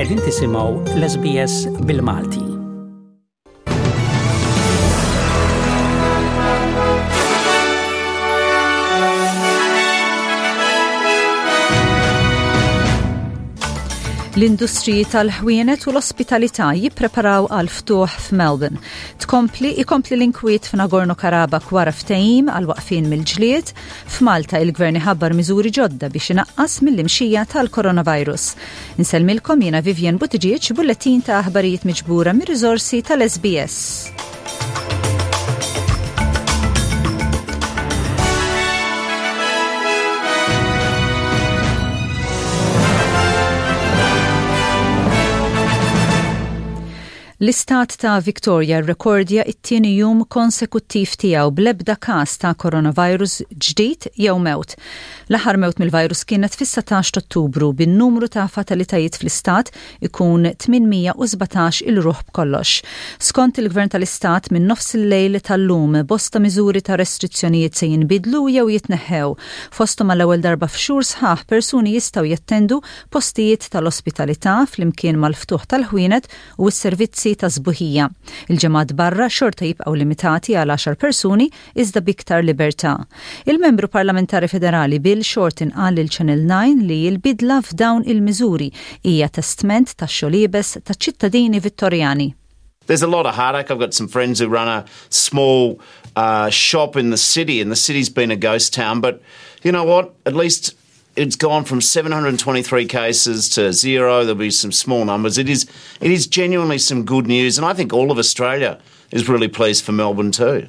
Qegħdin tisimgħu l-SBS bil-Malti. L-industriji tal-ħwienet u l-ospitalità jippreparaw għal ftuħ f'Melbourne. Tkompli ikompli l-inkwiet f'Nagorno-Karabakh wara ftehim għal waqfien mill-ġlied. F'Malta il-Gvern iħabbar miżuri ġodda biex inaqqas mill-imxija tal-coronavirus. Insellmilkom jiena Vivian Buttigieg, bullettin ta' aħbarijiet miġbura mir-riżorsi tal-SBS. L-Istat ta' Victoria rrekordja t-tieni jum konsekuttiv tiegħu bl-ebda każ ta' coronavirus ġdid jew mewt. L-aħħar mewt mill-virus kienet fis-17 t'Ottubru, bin-numru ta' fatalitajiet fl-istat ikun 817 il ruħ b'kollox. Skont il-Gvern tal-Istat, minn nofsillejl tal-lum, bosta miżuri ta' restrizzjonijiet se jinbidlu jew jitneħħew. Fosthom għall-ewwel darba f'xhur sħaħ persuni jistgħu jattendu postijiet tal-ospitalità flimkien mal-ftuħ tal-ħwienet u s-servizzi tas-sbuħija. Il-ġemgħat barra xorta jibqgħu limitati għal għaxar persuni iżda b'iktar libertà. Il-Membru Parlamentari Federali Bill Shorten qal lil Channel 9 li l-bidla f'dawn il-miżuri hija testment tax-xogħol iebes taċ-ċittadini Vittorjani. There's a lot of heartache. I've got some friends who run a small uh, shop in the city, and the city's been a ghost town. But you know what? At least it's gone from 723 cases to zero. There'll be some small numbers. It is, it is genuinely some good news, and I think all of Australia is really pleased for Melbourne too.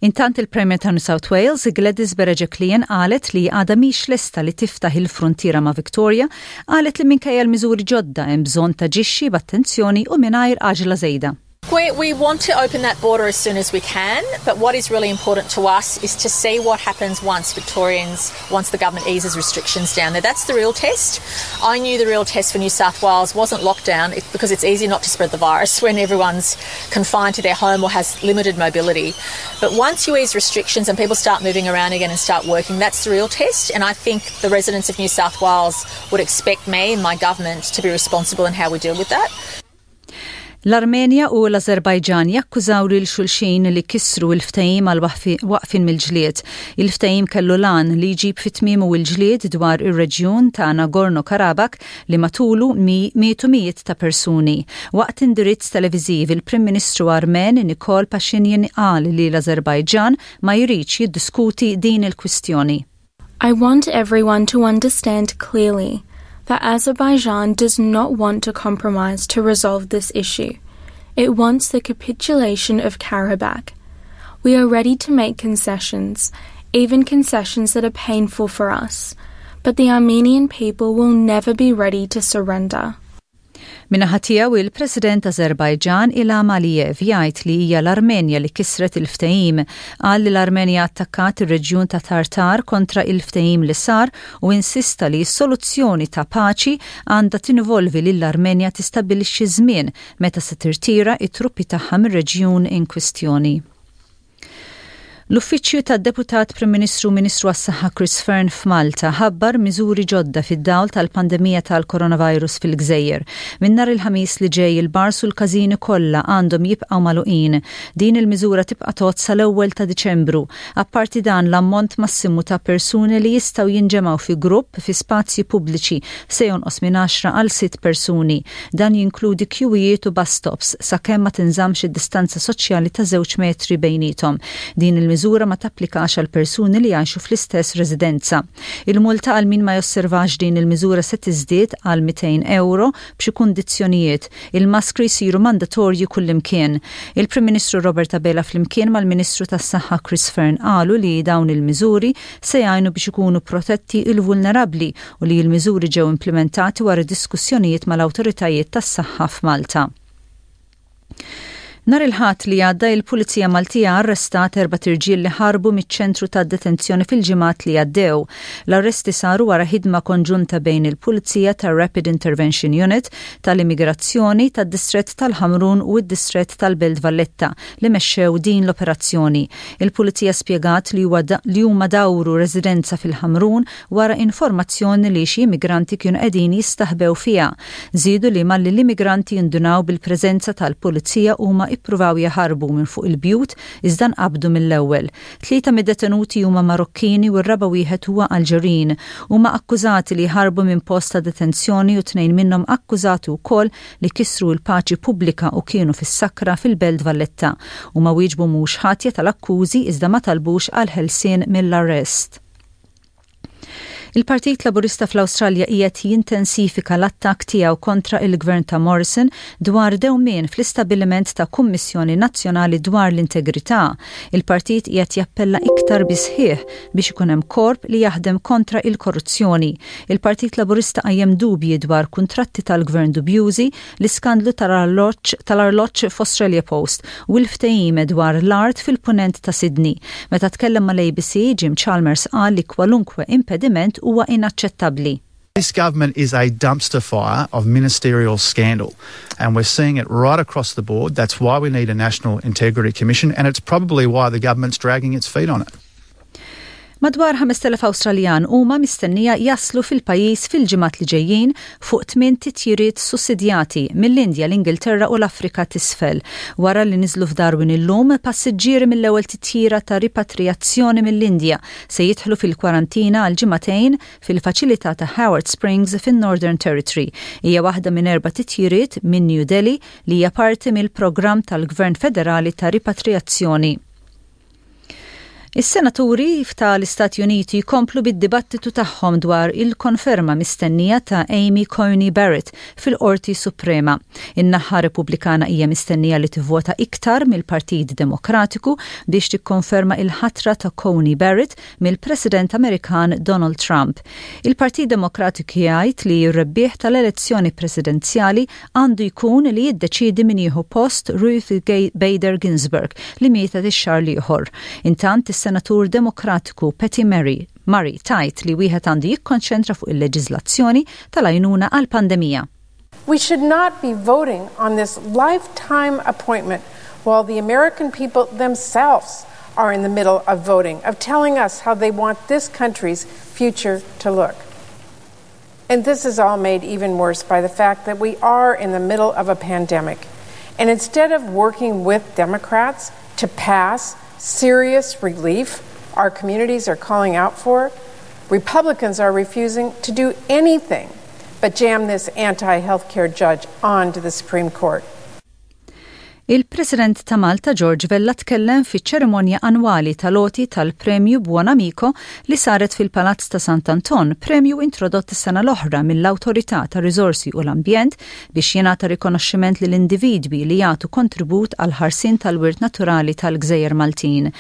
Intant il-Premier ta' New South Wales, Gladys Berejiklian qalet li għadha mhix lesta li tiftaħ il-fruntiera ma' Victoria, qalet li minkejja l-miżuri ġodda hemm bżonn taġixxi b'attenzjoni u mingħajr għaġla żejda. We, we want to open that border as soon as we can, but what is really important to us is to see what happens once Victorians, once the government eases restrictions down there. That's the real test. I knew the real test for New South Wales wasn't lockdown because it's easy not to spread the virus when everyone's confined to their home or has limited mobility. But once you ease restrictions and people start moving around again and start working, that's the real test. And I think the residents of New South Wales would expect me and my government to be responsible in how we deal with that. L-Armenja u l-Ażerbajġan jakkużaw lil xulxin li kisru l-ftehim għal waqfien mill-ġlied. Il-ftehim kellu l-għan li jġib fi tmiemu l-ġlied dwar ir-reġjun ta' Nagorno-Karabakh li matulu mietu mijiet ta' persuni. Waqt indirizz televiżiv, il-Prim Ministru Armen Nikol Pashinyan qal li l-Ażerbajġan ma jridx jiddiskuti din il-kwistjoni. I want everyone to understand clearly that Azerbaijan does not want to compromise to resolve this issue. It wants the capitulation of Karabakh. We are ready to make concessions, even concessions that are painful for us, but the Armenian people will never be ready to surrender. Min-naħa tiegħu, il-President Ażerbajġan Ilham Aliyev jgħid li hija l-Armenja li kisret il-ftehim. Qal li l-Armenja attakkat ir-reġjun ta' Tartar kontra il-ftehim li sar u insista li s-soluzzjoni ta' paċi għandha tinvolvi lill-Armenja tistabbilixxi żmien meta se tirtira t-truppi tagħha mir-reġjun inkwistjoni. L-Uffiċċju tad-Deputat Prim Ministru u Ministru għas-Saħħa Chris Fearne f'Malta ħabbar miżuri ġodda fid-dawl tal-pandemija tal-coronavirus fil-gżejjer. Minn nhar il-Ħamis li ġej il-bars u l-każini kollha għandhom jibqgħu magħluqin. Din il-miżura tibqa' tgħodd sal-ewwel ta' Diċembru. Apparti dan, l-ammont massimu ta' persuni li jistgħu jinġemgħu fi grupp fi spazji pubbliċi se jonqos minn għaxra għal sitt persuni. Dan jinkludi kjuwijiet u bus stops, sakemm ma tinżammx id-distanza soċjali ta' żewġ metri bejniethom. Din il-miżura ma tapplikax għal persuni li jgħixu fl-istess residenza. Il-multa għal min ma josservax din il-miżura se tiżdied għal 200 ewro b'xi kundizzjonijiet. Il-maskri jsiru mandatorji kullimkien. Il-Prim Ministru Robert Abela flimkien mal-Ministru tas-Saħħa Chris Fearne qalu li dawn il-miżuri se jgħinu biex ikunu protetti l-vulnerabbli u li l-miżuri ġew implimentati wara diskussjonijiet mal-awtoritajiet tas-saħħa f'Malta. Nhar il-Ħadd li għadda il-Pulizija Maltija arrestat erbat irġiel li ħarbu miċ-ċentru ta' detenzjoni fil-ġimgħat li għaddew. L-arresti saru wara ħidma konġunta bejn il-Pulizija tar-Rapid Intervention Unit, tal-Immigrazzjoni, tad-Distrett tal-Ħamrun u d-Distrett tal-Belt Valletta li mexxew din l-operazzjoni. Il-Pulizija spjegat li huwa li huma dawru residenza fil-Ħamrun wara informazzjoni li xi immigranti kienu qegħdin jistaħbew fiha. Żiedu li malli l-immigranti indunaw bil-preżenza tal-Pulizija huma ippruvaw jaħarbu minn fuq il-bjut iżda nqabdu mill-ewwel. Tlieta mid-detenuti huma Marokkini u r-raba' wieħed huwa Alġerin. Huma akkużati li ħarbu minn post ta' detenzjoni u tnejn minnhom akkużati wkoll li kisru l-paċi pubblika u kienu fis-sakra fil-Belt Valletta. Huma wieġbu mhux ħatja tal-akkużi iżda ma talbux għall-ħelsien mill-arrest. Il-Partit Laburista fl-Awstralja qiegħed jintensifika l-attakk tiegħu kontra il-Gvern ta' Morrison dwar dewmien fl-istabbiliment ta' Kummissjoni Nazzjonali dwar l-Integrità. Il-partit qiegħed jappella iktar bis-sħiħ biex ikun hemm korp li jaħdem kontra il-korruzzjoni. Il-Partit Laburista qajjem dubji dwar kuntratti tal-Gvern dubjużi, l-iskandlu tal-arloġġ f'Australia Post u l-ftehim dwar l-art fil-Punent ta' Sydney. Meta tkellem mal-ABC, Jim Chalmers qal li kwalunkwe impediment huwa inaċċettabbli. This government is a dumpster fire of ministerial scandal, and we're seeing it right across the board. That's why we need a National Integrity Commission, and it's probably why the government's dragging its feet on it. Madwar 5,000 Awstraljan huma mistennija jaslu fil-pajjiż fil-ġimgħat li ġejjin fuq tmien titjiriet sussidjati mill-Indja, l-Ingilterra u l-Afrika t'Isfel. Wara li niżlu f'Darwin illum, passiġġieri mill-ewwel titjira ta' ripatrijazzjoni mill-Indja se jidħlu fil-kwarantina għal ġimagħtejn fil-faċilità ta' Howard Springs fin-Northern Territory. Hija waħda minn erba' titjiriet minn New Delhi li hija parti mill-programm tal-Gvern Federali ta' ripatrijazzjoni. Is-senaturi tal-Istati Uniti jkomplu bid-dibattitu tagħhom dwar il-konferma mistennija ta' Amy Coney Barrett fil-Qorti Suprema. In-naħa Repubblikana hija mistennija li tivvota iktar mill-Partit Demokratiku biex tikkonferma il-ħatra ta' Coney Barrett mill-President Amerikan Donald Trump. Il-Partit Demokratiku jgħid li r-rebbieħ tal-elezzjoni presidenzjali għandu jkun li jiddeċiedi min jieħu post Ruth Bader Ginsburg li mietet ix-xahar l-ieħor. Intant, is-Senatur Demokratiku Patty Murray Murray tgħid li wieħed għandu jikkonċentra fuq il-leġiżlazzjoni tal-għajnuna għall-pandemija. We should not be voting on this lifetime appointment while the American people themselves are in the middle of voting, of telling us how they want this country's future to look. And this is all made even worse by the fact that we are in the middle of a pandemic. And instead of working with Democrats to pass serious relief our communities are calling out for, Republicans are refusing to do anything but jam this anti healthcare judge onto the Supreme Court. Il-President ta' Malta George Vella tkellem fiċ-ċerimonja annwali tal-għoti tal-Premju Buonamico li saret fil-Palazz ta' Sant'Anton, premju introdott is-sena l-oħra mill-Awtorità tar-Riżorsi u l-Ambjent biex jingħata rikonoxximent lil individwi li jagħtu kontribut għall-ħarsien tal-wirt naturali tal-Gżejjer Maltin.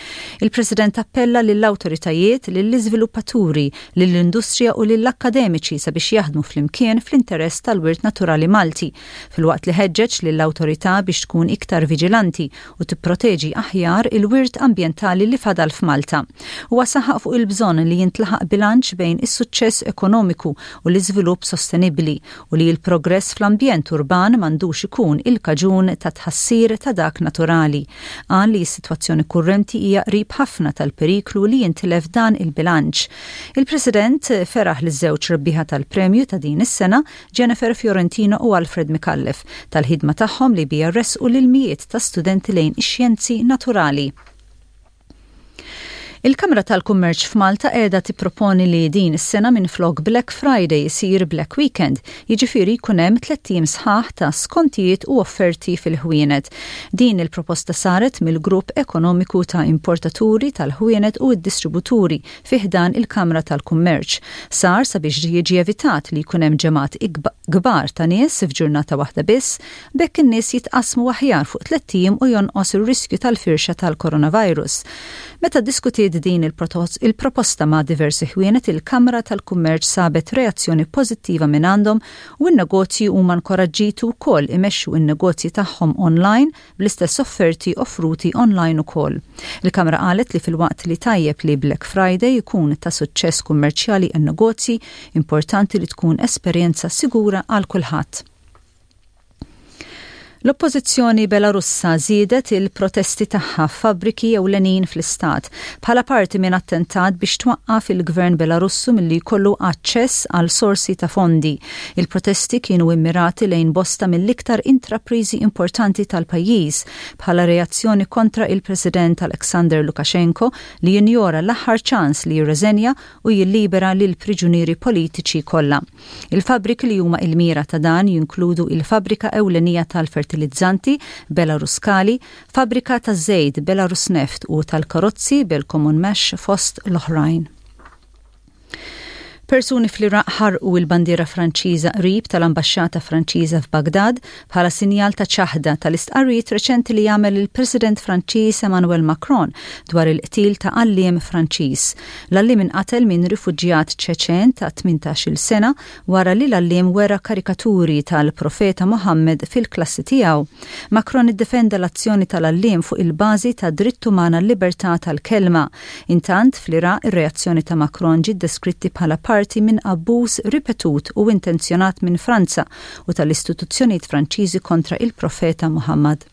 Il-President appella lill-awtoritajiet, lill-iżviluppaturi, lill-industrija u lill-akkademiċi sabiex jaħdmu flimkien fl-interess tal-wirt naturali Malti, filwaqt li ħeġġeġ lill-awtorità biex tkun iktar viġilanti u tipproteġi aħjar il-wirt ambjentali li fadal f'Malta. Huwa saħaq fuq il-bżonn li jintlaħaq bilanċ bejn is-suċċess ekonomiku u l-iżvilupp sostenibbli u li l-progress fl-ambjent urban m'għandux ikun il-kaġun ta' tħassir ta' dak naturali. Qal li s-sitwazzjoni kurrenti hija qrib ħafna tal-periklu li jintilef dan il-bilanċ. Il-President feraħ liż-żewġ rebbieħa tal-premju ta' din is-sena, Jennifer Fiorentino u Alfred Micallef, tal-ħidma tagħhom li biha ressqu lil mijiet ta' studenti lejn ix-xjenzi naturali. Il-Kamra tal-Kummerċ f'Malta qiegħda tipproponi li din is-sena minflok Black Friday isir Black Weekend, jiġifieri jkun hemm tlett ijiem sħaħ ta' skontijiet u offerti fil-ħwienet. Din il-proposta saret mill-Grupp Ekonomiku ta' Importaturi tal-Ħwienet u d-Distributuri fi ħdan il-Kamra tal-Kummerċ. Sar sabiex jiġi evitat li jkun hemm ġemgħat kbar ta' nies f'ġurnata waħda biss, b'hekk in-nies jitqassmu aħjar fuq tlett ijiem u jonqos ir-riskju tal-firxa tal-coronavirus. Meta ddiskutiet Iddiskutit din il-proposta ma' diversi ħwienet, il-Kamra tal-Kummerċ sabet reazzjoni pożittiva mingħandhom u n-negozji huma nkoraġġiti wkoll imexxu n-negozji tagħhom online bl-istess offerti offruti online ukoll. Il-Kamra qalet li filwaqt li tajjeb li Black Friday ikun ta' suċċess kummerċjali għan-negozji, importanti li tkun esperjenza sigura għal kulħadd. L-Oppożizzjoni Belarussa żiedet il-protesti tagħha f'fabbriki ewlenin fl-istat bħala parti minn attentat biex twaqqaf il-Gvern Belarussu milli jkollu aċċess għal sorsi ta' fondi. Il-protesti kienu immirati lejn bosta mill-iktar intrapriżi importanti tal-pajjiż bħala reazzjoni kontra il-President Alexander Lukashenko li jinjora l-aħħar ċans li jirreżenja u jillibera lill-priġunieri politiċi kollha. Il-fabbriki li huma il-mira ta' dan jinkludu il-fabbrika ewlenija tal-fertilizzanti Belaruskali, fabbrika taż-żejt Belarusneft u tal-karozzi Belkomunmash fost l-oħrajn. Persuni fl-Iraq ħarqu il-bandiera Franċiża qrib tal-ambaxxata Franċiża f'Bagdad bħala sinjal ta' ċaħda tal-istqarrijiet reċenti li għamel il-President Franċiż Emmanuel Macron dwar il-qtil ta' għalliem Franċiż. L-għalliem inqatel minn rifuġjat Ċeċen ta' 18-il sena wara li l-għalliem wera karikaturi tal-Profeta Mohammed fil-klassi tiegħu. Macron iddefenda l-azzjoni tal-għalliem fuq il-bażi tad-dritt uman għal-libertà tal-kelma. Intant, fl-Iraq ir-reazzjoni ta' Macron ġiet deskritti bħala parti minn abbuż ripetut u intenzjonat minn Franza u tal-istituzzjonijiet Franċiżi kontra il-Profeta Muhammad.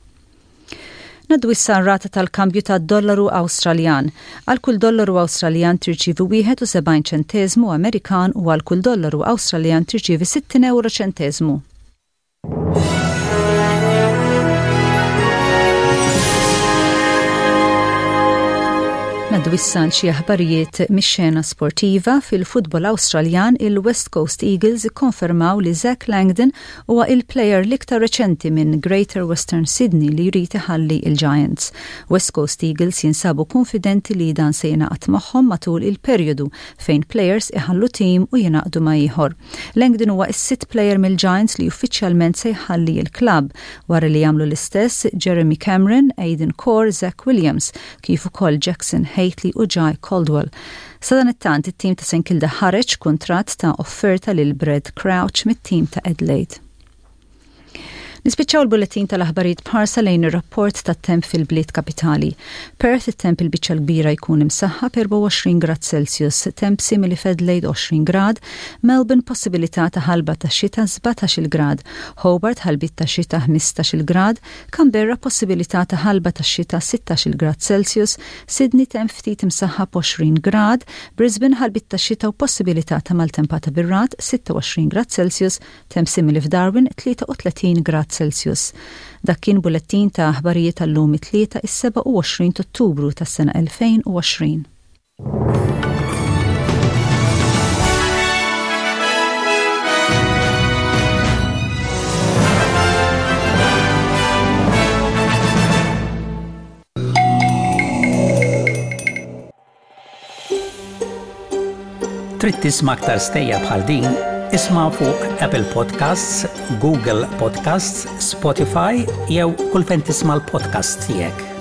Ngħaddu issa għar-rata tal-kambju tad-dollaru Awstraljan. Għal kull dollaru Awstraljan tirċievi 71 ċenteżmu Amerikan u għal kull dollaru Awstraljan tirċievi 60 ewro ċenteżmu. Ngħaddu issa għal xi aħbarijiet mix-xena sportiva fil-futbol Awstraljan il-West Coast Eagles ikkonfermaw li Zach Langdon Huwa il-plejer l-iktar reċenti minn Greater Western Sydney li jrid iħalli l-Giants. West Coast Eagles jinsabu kunfidenti li dan se jingħaqad magħhom matul il-perjodu fejn plejers iħallu tim u jingħaqdu ma' ieħor. Langdon huwa s-sitt plejer mill-Giants li uffiċjalment se jħalli l-klabb, wara li għamlu l-istess Jeremy Cameron, Aidan Corr, Zach Williams, kif ukoll Jackson Hately u Jye Caldwell. Sadanittant, it-tim ta' St Kilda ħareġ kuntratt ta' offerta lil Brad Crouch mit-tim ta' Adelaide. Nispiċċaw il-bulletin tal-aħbarijiet b'ħarsa lejn ir-rapport tat-temp fil-bliet kapitali. Perth it-temp il-biċċa l-kbira jkun imsaħħab 24 grad Celsius, temp simili f'Adelaide 20 grad, Melbourne possibilità ta' ħalba ta' xita 17-il grad, Hobart ħalbiet ta' xita 15-il grad, Canberra possibilità ta' ħalba ta' xita 16-il grad Celsius, Sydney temp ftit imsaħħab 20 grad, Brisbane ħalbiet ta' xita u possibilità ta' maltempata bir-ragħad 26 grad Celsius, temp simili f'Darwin 33 grad Celsius. Dak kien bulettin ta' aħbarijiet għal-lum it-Tlieta is-27 t'Ottubru tas-sena 2020. Trid tisma' aktar stejjer bħal din? Isma' fuq Apple Podcasts, Google Podcasts, Spotify jew kull fejn tisma' l-podcasts tiegħek.